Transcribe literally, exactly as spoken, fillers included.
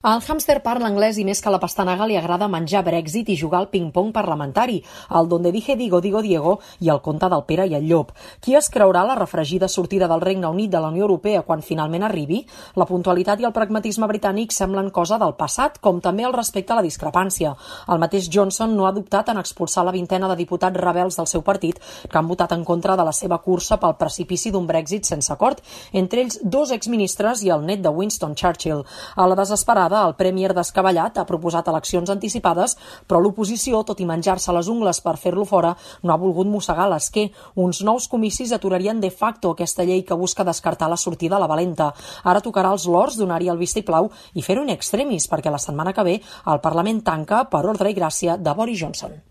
Al hàmster parla anglès i més que la pastanaga li agrada menjar Brexit i jugar al ping-pong parlamentari, el donde dije digo digo Diego i el conte del Pere i el Llop. Qui es creurà la refregida sortida del Regne Unit de la Unió Europea quan finalment arribi? La puntualitat i el pragmatisme britànic semblen cosa del passat, com també el respecte a la discrepància. El mateix Johnson no ha dubtat en expulsar la vintena de diputats rebels del seu partit que han votat en contra de la seva cursa pel precipici d'un Brexit sense acord, entre ells dos exministres i el net de Winston Churchill. A la desesperada, el Premier descabellat ha proposat eleccions anticipades, però l'oposició, tot i menjar-se les ungles per fer-lo fora, no ha volgut mossegar l'esquer. Uns nous comicis aturarien de facto aquesta llei que busca descartar la sortida a la valenta. Ara tocarà als Lords donar-hi el vistiplau i fer-ho in extremis, perquè la setmana que ve el Parlament tanca per ordre i gràcia de Boris Johnson.